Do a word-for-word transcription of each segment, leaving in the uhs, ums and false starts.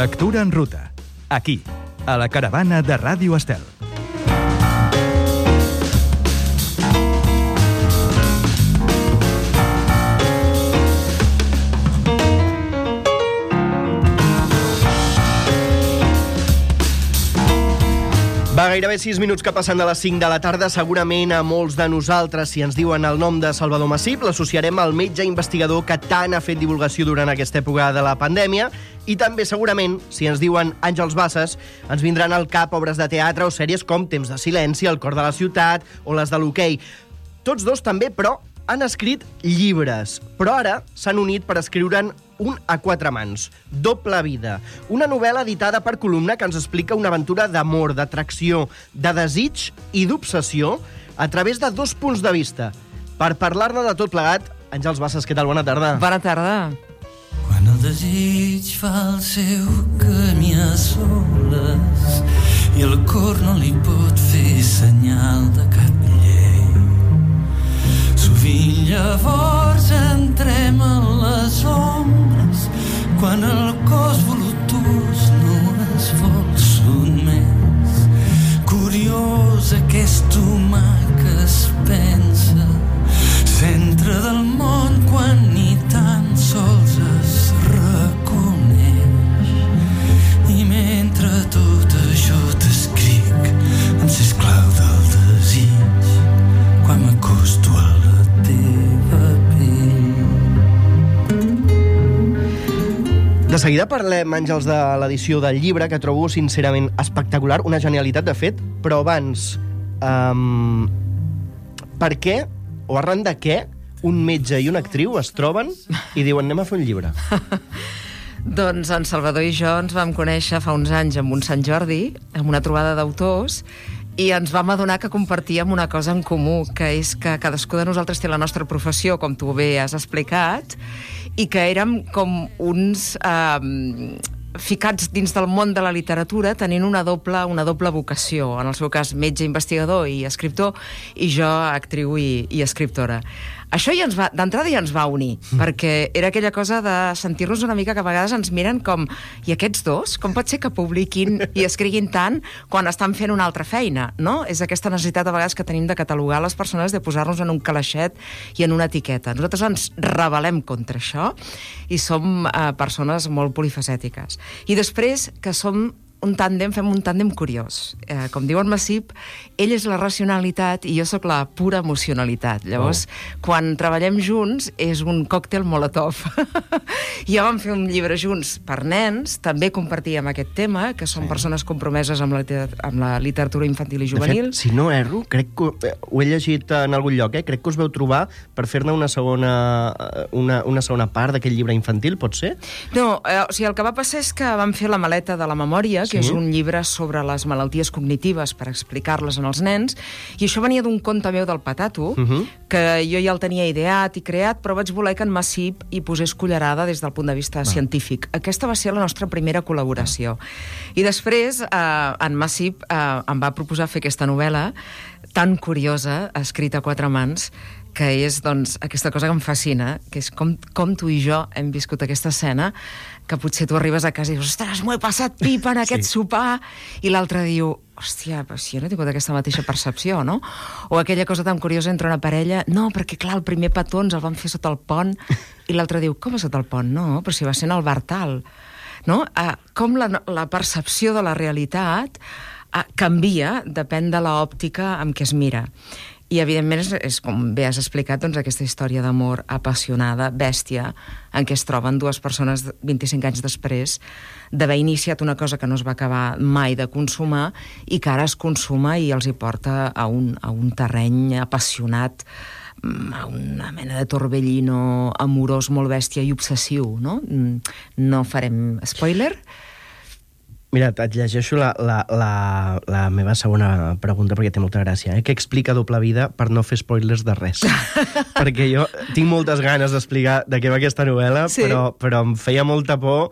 Lectura en ruta. Aquí, a la caravana de Ràdio Estel. Va, gairebé sis minuts que passen de les cinc de la tarda. Segurament a molts de nosaltres, si ens diuen el nom de Salvador Massip, l'associarem al metge investigador que tant ha fet divulgació durant aquesta època de la pandèmia. I també, segurament, si ens diuen Àngels Bassas, ens vindran al cap obres de teatre o sèries com Temps de silenci, El cor de la ciutat o les de l'hoquei. Tots dos també, però, han escrit llibres. Però ara s'han unit per escriure'n un a quatre mans, Doble vida. Una novel·la editada per Columna que ens explica una aventura d'amor, d'atracció, de desig i d'obsessió a través de dos punts de vista. Per parlar-ne de tot plegat, Àngels Bassas, què tal? Bona tarda. Bona tarda. Quan el desig fa el seu camí a soles i el cor no li pot fer senyal de cap llei, sovint llavors entrem a les ombres quan el cos volutós no es vol sotmès. Curiós aquest humà que es pensa centre del món quan ni tan sols es reconeix. I mentre tot això t'escric en ser esclau del desig quan m'acosto a la teva pell. De seguida parlem, Àngels, de l'edició del llibre, que trobo sincerament espectacular, una genialitat, de fet, però abans, um, per què, o arran de què, un metge i una actriu es troben i diuen anem a fer un llibre? Doncs en Salvador i jo ens vam conèixer fa uns anys amb un Sant Jordi, amb una trobada d'autors, i ens vam adonar que compartíem una cosa en comú, que és que cadascú de nosaltres té la nostra professió, com tu bé has explicat, i que érem com uns eh, ficats dins del món de la literatura tenint una doble, una doble vocació, en el seu cas metge investigador i escriptor, i jo actriu i, i escriptora. Això ja ens va, d'entrada ja ens va unir, mm. perquè era aquella cosa de sentir-nos una mica que a vegades ens miren com, i aquests dos, com pot ser que publiquin i escriguin tant quan estan fent una altra feina, no? És aquesta necessitat a vegades que tenim de catalogar les persones, de posar-nos en un calaixet i en una etiqueta. Nosaltres ens rebel·lem contra això i som eh, persones molt polifacètiques. I després que som un tàndem, fem un tàndem curiós. Eh, com diu en Massip, ell és la racionalitat i jo sóc la pura emocionalitat. Llavors, oh. quan treballem junts, és un còctel molotov. Ja vam fer un llibre junts per nens, també compartíem aquest tema, que són sí. persones compromeses amb la, amb la literatura infantil i juvenil. De fet, si no erro, crec que ho he llegit en algun lloc, eh? crec que us veu trobar per fer-ne una segona, una, una segona part d'aquest llibre infantil, pot ser? No, eh, o sigui, el que va passar és que vam fer la maleta de la memòria, que sí? és un llibre sobre les malalties cognitives per explicar-les en els nens, i això venia d'un conte meu del Patato, uh-huh. que jo ja el tenia ideat i creat, però vaig voler que en Massip hi posés cullerada des del punt de vista ah. científic. Aquesta va ser la nostra primera col·laboració. I després, eh, en Massip eh, em va proposar fer aquesta novel·la tan curiosa, escrita a quatre mans, que és, doncs, aquesta cosa que em fascina, que és com, com tu i jo hem viscut aquesta escena, que potser tu arribes a casa i dius, ostres, m'ho he passat pipa en aquest sí. sopar, i l'altre diu, hòstia, però si jo no he tingut aquesta mateixa percepció, no? O aquella cosa tan curiosa entre una parella, no, perquè clar, el primer petó ens el van fer sota el pont, i l'altre diu, com és sota el pont? No, però si va ser en el bar tal. No? Uh, com la, la percepció de la realitat uh, canvia, depèn de l'òptica amb què es mira. I, evidentment, és, és com bé has explicat, doncs, aquesta història d'amor apassionada, bèstia, en què es troben dues persones vint-i-cinc anys després d'haver iniciat una cosa que no es va acabar mai de consumar i que ara es consuma i els hi porta a un, a un terreny apassionat, a una mena de torbellino amorós molt bèstia i obsessiu, no? No farem spoiler. Mira, et llegeixo la, la, la, la meva segona pregunta perquè té molta gràcia. Eh? Què explica Doble vida per no fer spoilers de res? Perquè jo tinc moltes ganes d'explicar de què va aquesta novel·la, sí. però, però em feia molta por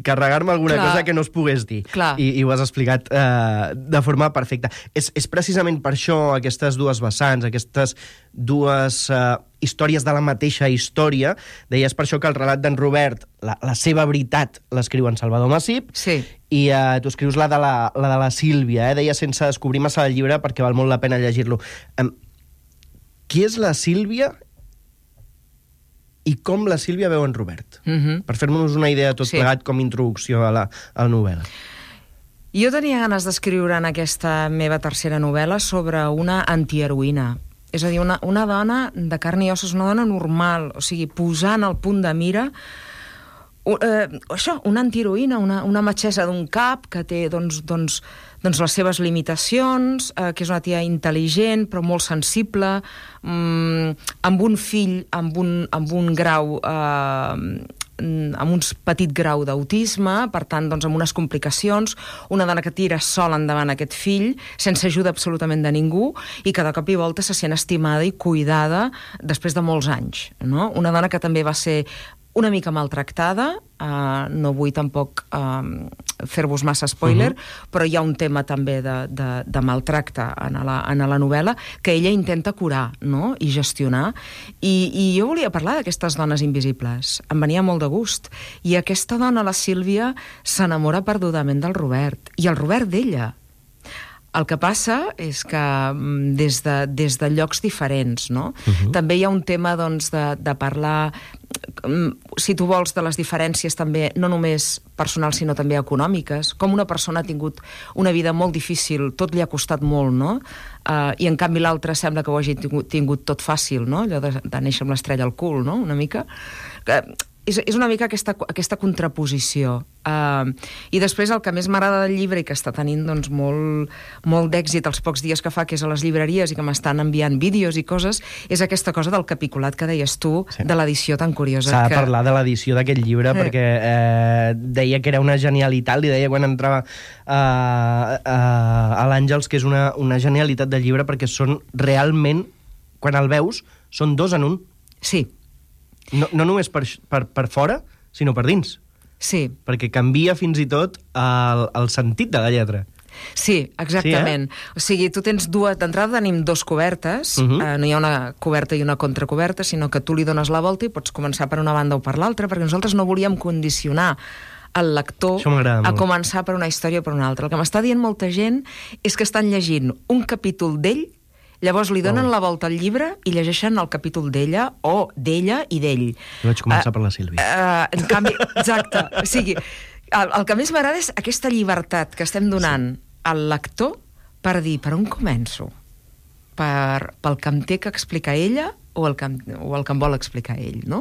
carregar-me alguna Clar. cosa que no es pogués dir. Clar. I, i ho has explicat eh, de forma perfecta. És, és precisament per això aquestes dues vessants, aquestes dues eh, històries de la mateixa història. Deies per això que el relat d'en Robert, la, la seva veritat, l'escriu en Salvador Massip, Sí. i eh, tu escrius la de la, la de la Sílvia, eh? Deies sense descobrir massa el llibre perquè val molt la pena llegir-lo. Um, qui és la Sílvia i com la Sílvia veu en Robert? Mhm. Per fer-nos una idea tot Sí. plegat com a introducció a la, a la novel·la. Jo tenia ganes d'escriure en aquesta meva tercera novel·la sobre una antiheroïna. És a dir, una, una dona de carn i ossos, una dona normal, o sigui, posant al punt de mira uh, eh, això, una antiheroïna, una, una metgessa d'un cap que té doncs, doncs, doncs les seves limitacions, eh, que és una tia intel·ligent però molt sensible, mm, amb un fill amb un, amb un grau eh, amb un petit grau d'autisme, per tant, doncs, amb unes complicacions, una dona que tira sola endavant aquest fill, sense ajuda absolutament de ningú, i que de cop i volta se sent estimada i cuidada després de molts anys, no? Una dona que també va ser una mica maltractada, uh, no vull tampoc uh, fer-vos massa spoiler, uh-huh. però hi ha un tema també de, de, de maltracte en la, en la novel·la que ella intenta curar, no?, i gestionar. I, i jo volia parlar d'aquestes dones invisibles. Em venia molt de gust. I aquesta dona, la Sílvia, s'enamora perdudament del Robert, i el Robert d'ella. El que passa és que des de, des de llocs diferents, no? Uh-huh. També hi ha un tema, doncs, de, de parlar, si tu vols, de les diferències també, no només personals, sinó també econòmiques. Com una persona ha tingut una vida molt difícil, tot li ha costat molt, no? Uh, I en canvi l'altre sembla que ho hagi tingut, tingut tot fàcil, no? Allò de, de néixer amb l'estrella al cul, no? Una mica. Que, és, és una mica aquesta, aquesta contraposició. Uh, I després el que més m'agrada del llibre i que està tenint doncs, molt, molt d'èxit els pocs dies que fa, que és a les llibreries i que m'estan enviant vídeos i coses, és aquesta cosa del capiculat que deies tu, sí. de l'edició tan curiosa. S'ha que... de parlar de l'edició d'aquest llibre eh. perquè eh, deia que era una genialitat, li deia quan entrava uh, uh, a l'Àngels que és una, una genialitat del llibre perquè són realment, quan el veus, són dos en un. Sí. No, no només per, per, per fora, sinó per dins. Sí. Perquè canvia fins i tot el, el sentit de la lletra. Sí, exactament. Sí, eh? O sigui, tu tens dues... D'entrada tenim dos cobertes, uh-huh. eh, no hi ha una coberta i una contracoberta, sinó que tu li dones la volta i pots començar per una banda o per l'altra, perquè nosaltres no volíem condicionar el lector a començar per una història o per una altra. El que m'està dient molta gent és que estan llegint un capítol d'ell, llavors li donen oh. la volta al llibre i llegeixen el capítol d'ella o d'ella i d'ell. Jo vaig començar uh, per la Sílvia. Uh, en canvi, exacte. O sigui, el, el que més m'agrada és aquesta llibertat que estem donant sí. al lector per dir per on començo, per, pel que em té que explicar ella o el, que em, o el que em vol explicar ell, no?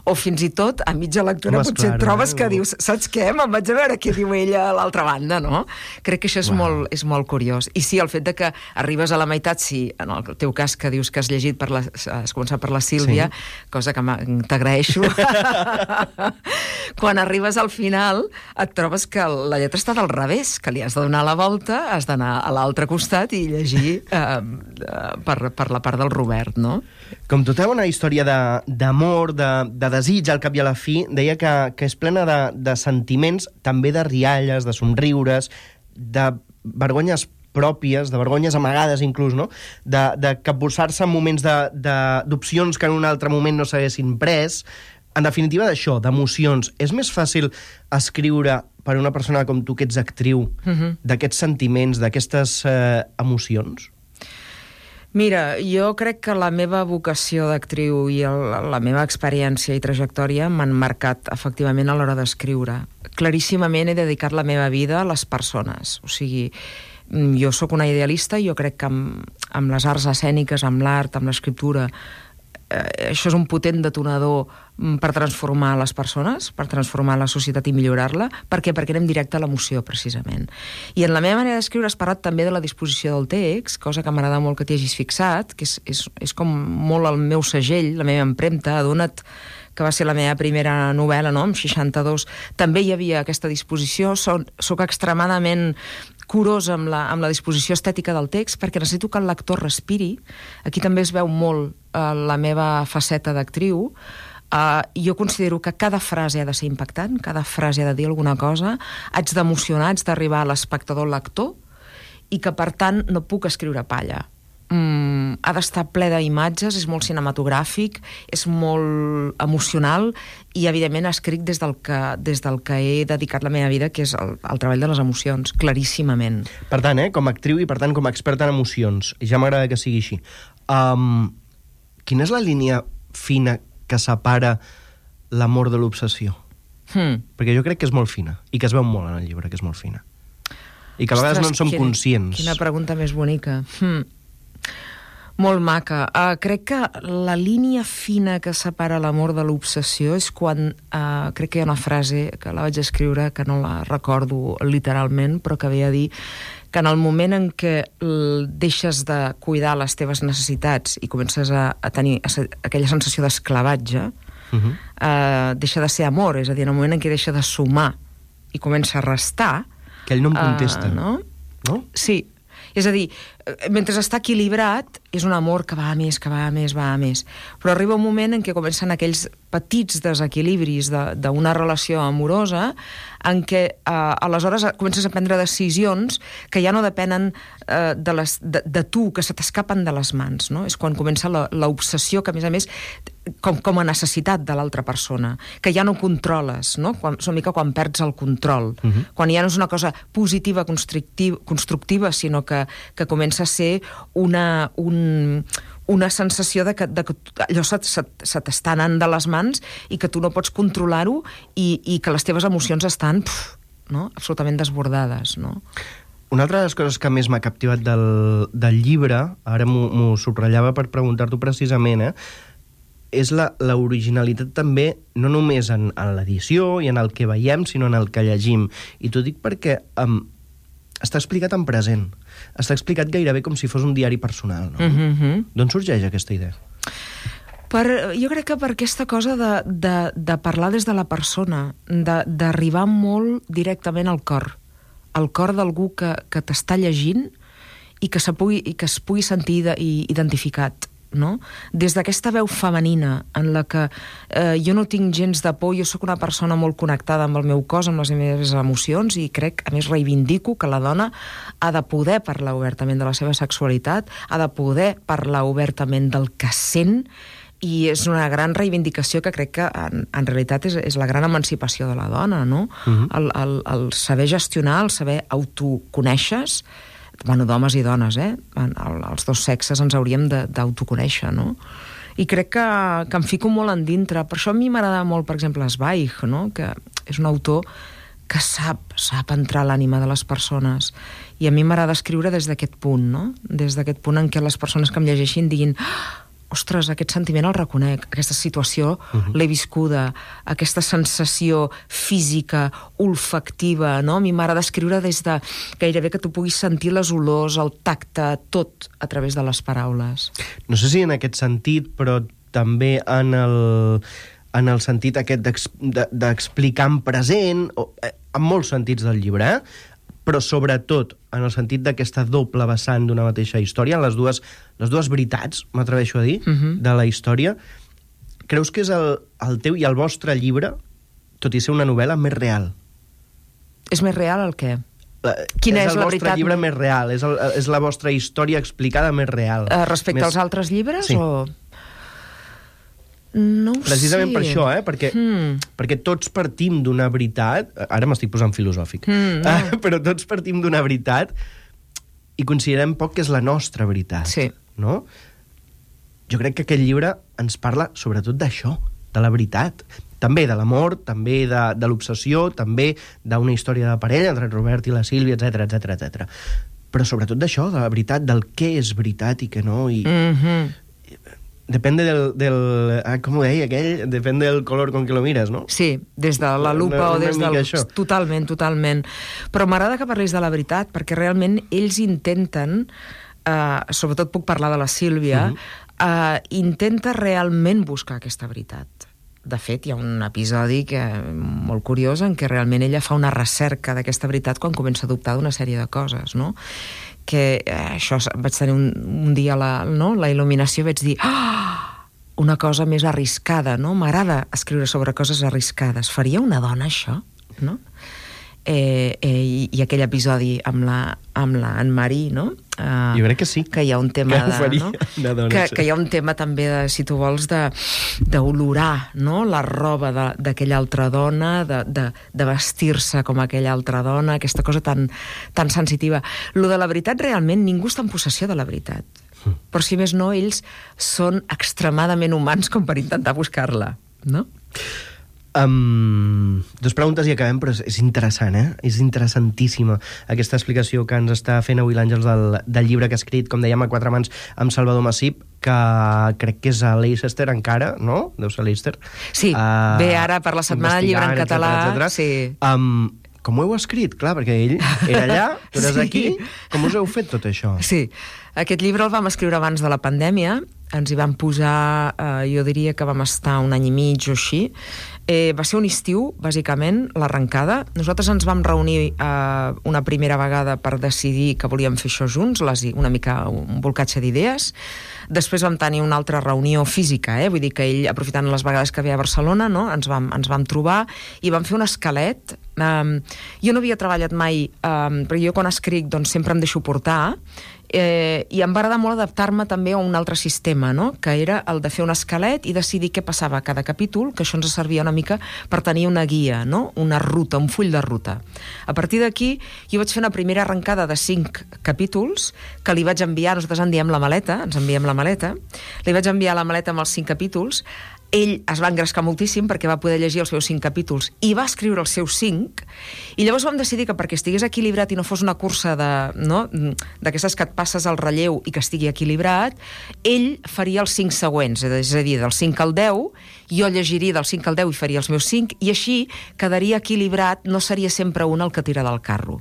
O fins i tot, a mitja lectura, Home, potser clar, trobes eh? que dius, saps què? Me'n vaig a veure què diu ella a l'altra banda, no? Crec que això és, wow. molt, és molt curiós. I sí, el fet de que arribes a la meitat, sí, en el teu cas que dius que has llegit, per la, has començat per la Sílvia, sí. cosa que t'agraeixo. Quan arribes al final, et trobes que la lletra està del revés, que li has de donar la volta, has d'anar a l'altre costat i llegir eh, per, per la part del Robert, no? Com tota una història d'amor, de, de, de desig, al cap i a la fi, deia que, que és plena de, de sentiments, també de rialles, de somriures, de vergonyes pròpies, de vergonyes amagades inclús, no? De, de capbussar-se en moments d'opcions que en un altre moment no s'haguessin pres. En definitiva, d'això, d'emocions. És més fàcil escriure per a una persona com tu, que ets actriu, uh-huh. d'aquests sentiments, d'aquestes eh, emocions? Mira, jo crec que la meva vocació d'actriu i el, la meva experiència i trajectòria m'han marcat efectivament a l'hora d'escriure. Claríssimament he dedicat la meva vida a les persones. O sigui, jo sóc una idealista i jo crec que amb, amb les arts escèniques, amb l'art, amb l'escriptura, eh, això és un potent detonador per transformar les persones, per transformar la societat i millorar-la. Per què? Perquè anem directe a l'emoció, precisament. I en la meva manera d'escriure has parlat també de la disposició del text, cosa que m'agrada molt que t'hi hagis fixat, que és, és, és com molt el meu segell, la meva empremta. Adona't que va ser la meva primera novel·la, no?, amb seixanta-dos. També hi havia aquesta disposició. Soc, soc extremadament curosa amb la, amb la disposició estètica del text, perquè necessito que el lector respiri. Aquí també es veu molt eh, la meva faceta d'actriu. Uh, jo considero que cada frase ha de ser impactant, cada frase ha de dir alguna cosa, haig d'emocionar, haig d'arribar a l'espectador-lector, i que, per tant, no puc escriure palla. Mm, ha d'estar ple d'imatges, és molt cinematogràfic, és molt emocional i, evidentment, escric des del que, des del que he dedicat la meva vida, que és el, el treball de les emocions, claríssimament. Per tant, eh, com a actriu i, per tant, com a experta en emocions, ja m'agrada que sigui així. Um, quina és la línia fina que separa l'amor de l'obsessió? Hmm. Perquè jo crec que és molt fina, i que es veu molt en el llibre, que és molt fina. I que a vegades Ostres, no en som quina, conscients. Quina pregunta més bonica. Hmm. Molt maca. Uh, crec que la línia fina que separa l'amor de l'obsessió és quan, uh, crec que hi ha una frase que la vaig escriure, que no la recordo literalment, però que ve a dir que en el moment en què deixes de cuidar les teves necessitats i comences a, a tenir aquella sensació d'esclavatge, uh -huh. uh, deixa de ser amor, és a dir, en el moment en què deixa de sumar i comença a restar... Que ell no em contesta. Uh, no? No? Sí. És a dir, mentre està equilibrat, és un amor que va a més, que va a més, va a més. Però arriba un moment en què comencen aquells petits desequilibris d'una relació amorosa en què eh, aleshores comences a prendre decisions que ja no depenen eh, de, les, de, de tu, que se t'escapen de les mans, no? És quan comença l'obsessió, que a més a més com, com a necessitat de l'altra persona, que ja no controles, no? Quan, és una mica quan perds el control, uh -huh. quan ja no és una cosa positiva, constructiva, constructiva sinó que, que comença a ser una... Un, una sensació de que, de que allò se, se, se t'està anant de les mans i que tu no pots controlar-ho i, i que les teves emocions estan pf, no? absolutament desbordades. No? Una altra de les coses que més m'ha captivat del, del llibre, ara m'ho subratllava per preguntar-t'ho precisament, eh, és l'originalitat també, no només en, en l'edició i en el que veiem, sinó en el que llegim. I t'ho dic perquè um, està explicat en present. Està explicat gairebé com si fos un diari personal, no? Mm-hmm. D'on sorgeix aquesta idea? Per, jo crec que per aquesta cosa de, de, de parlar des de la persona, d'arribar molt directament al cor, al cor d'algú que, que t'està llegint i que, se pugui, i que es pugui sentir identificat. No? Des d'aquesta veu femenina en la que eh, jo no tinc gens de por, jo sóc una persona molt connectada amb el meu cos, amb les meves emocions, i crec, a més reivindico que la dona ha de poder parlar obertament de la seva sexualitat, ha de poder parlar obertament del que sent, i és una gran reivindicació que crec que en, en realitat és, és la gran emancipació de la dona, no? Uh-huh. el, el, el saber gestionar, el saber autoconèixer, bueno, d'homes i dones, eh? Els dos sexes ens hauríem d'autoconèixer, no? I crec que, que em fico molt en dintre. Per això a mi m'agrada molt, per exemple, Zweig, no? Que és un autor que sap, sap entrar a l'ànima de les persones. I a mi m'agrada escriure des d'aquest punt, no? Des d'aquest punt en què les persones que em llegeixin diguin ostres, aquest sentiment el reconec, aquesta situació uh-huh. l'he viscuda, aquesta sensació física, olfactiva, no? A mi m'agrada escriure des de gairebé que tu puguis sentir les olors, el tacte, tot a través de les paraules. No sé si en aquest sentit, però també en el, en el sentit aquest d'explicar en present, en molts sentits del llibre, eh? Però sobretot en el sentit d'aquesta doble vessant d'una mateixa història, les dues, les dues veritats, m'atreveixo a dir, uh-huh. de la història. Creus que és el, el teu i el vostre llibre, tot i ser una novel·la, més real? És més real el què? La, Quina és, és la veritat? És el vostre llibre més real, és, el, és la vostra història explicada més real. Uh, respecte més... als altres llibres? Sí. O... No ho Precisament sé. per això, eh? Perquè, mm. perquè tots partim d'una veritat, ara m'estic posant filosòfic, mm, no. eh? però tots partim d'una veritat i considerem poc que és la nostra veritat. Sí. No? Jo crec que aquest llibre ens parla sobretot d'això, de la veritat. També de l'amor, també de, de l'obsessió, també d'una història de parella entre Robert i la Sílvia, etcètera, etcètera, etcètera. Però sobretot d'això, de la veritat, del què és veritat i què no, i... Mm-hmm. Depende del, del ah, com ho deia aquell? Depende del color con que lo mires, no? Sí, des de la lupa una, o des del... Això. Totalment, totalment. Però m'agrada que parlis de la veritat, perquè realment ells intenten, eh, sobretot puc parlar de la Sílvia, uh-huh. eh, intenta realment buscar aquesta veritat. De fet, hi ha un episodi que, molt curiós en què realment ella fa una recerca d'aquesta veritat quan comença a dubtar d'una sèrie de coses, no? Que eh, això vaig tenir un, un dia la, no? la il·luminació, vaig dir oh, una cosa més arriscada, no? M'agrada escriure sobre coses arriscades. Faria una dona això, no? Eh, eh, i, i aquell episodi amb la, amb la Anne-Marie, no? Uh, jo crec que sí. Que hi ha un tema que de, no? dona, que, sí. que hi ha un tema també, de, si tu vols, de d'olorar, no? La roba d'aquella altra dona, de, de, de vestir-se com aquella altra dona, aquesta cosa tan, tan sensitiva. Lo de la veritat, realment, ningú està en possessió de la veritat. Mm. Però si més no, ells són extremadament humans com per intentar buscar-la, no? Um, dos preguntes i acabem, però és, és interessant, eh? És interessantíssima aquesta explicació que ens està fent avui l'Àngels del, del llibre que ha escrit, com dèiem, a quatre mans amb Salvador Massip, que crec que és a Leicester encara, no? Deu ser a Leicester. Sí, uh, ve ara per la Setmana del Llibre en català. Etcètera, etcètera. Sí. Um, com ho heu escrit? Clar, perquè ell era allà, tu eres sí. aquí. Com us heu fet tot això? Sí, aquest llibre el vam escriure abans de la pandèmia, ens hi vam posar, eh, jo diria que vam estar un any i mig o així. Eh, va ser un estiu, bàsicament, l'arrencada. Nosaltres ens vam reunir eh, una primera vegada per decidir que volíem fer això junts, les, una mica un volcatge d'idees. Després vam tenir una altra reunió física, eh? Vull dir que ell, aprofitant les vegades que ve a Barcelona, no? ens, vam, ens vam trobar i vam fer un esquelet. Um, jo no havia treballat mai, um, perquè jo quan escric doncs, sempre em deixo portar, Eh, i em va agradar molt adaptar-me també a un altre sistema, no? Que era el de fer un esquelet i decidir què passava a cada capítol, que això ens servia una mica per tenir una guia, no? Una ruta, un full de ruta. A partir d'aquí, jo vaig fer una primera arrencada de cinc capítols que li vaig enviar, nosaltres en diem la maleta, ens enviem la maleta, li vaig enviar la maleta amb els cinc capítols. Ell es va engrescar moltíssim perquè va poder llegir els seus cinc capítols i va escriure els seus cinc, i llavors vam decidir que perquè estigués equilibrat i no fos una cursa de, no, d'aquestes que et passes al relleu i que estigui equilibrat, ell faria els cinc següents, és a dir, del cinc al deu, jo llegiria del cinc al deu i faria els meus cinc, i així quedaria equilibrat, no seria sempre un el que tira del carro.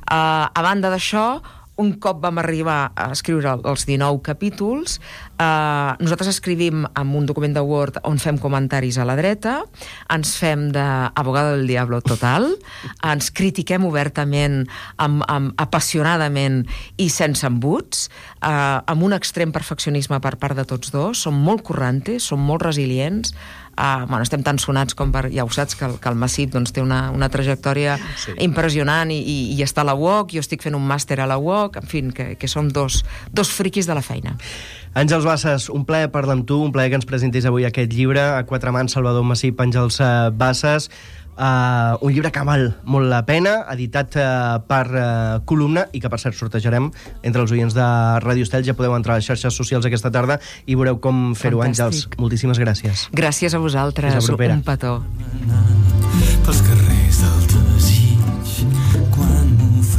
Uh, a banda d'això, un cop vam arribar a escriure els dinou capítols, eh, nosaltres escrivim amb un document de Word on fem comentaris a la dreta, ens fem d'abogado del diablo total, ens critiquem obertament, amb, amb, apassionadament i sense embuts, eh, amb un extrem perfeccionisme per part de tots dos, som molt currantes, som molt resilients, Uh, bueno, estem tan sonats com per... Ja ho saps, que el, que el Massip doncs, té una, una trajectòria sí. impressionant i, i, i està a la U O C, jo estic fent un màster a la U O C, en fi, que, que som dos, dos friquis de la feina. Àngels Bassas, un plaer parlar amb tu, un plaer que ens presentis avui aquest llibre, a quatre mans, Salvador Massip, Àngels Bassas. Uh, un llibre que val molt la pena, editat uh, per uh, Columna, i que per cert sortejarem entre els oients de Ràdio Estel. Ja podeu entrar a les xarxes socials aquesta tarda i veureu com fer-ho. Àngels, moltíssimes gràcies. Gràcies a vosaltres, un petó.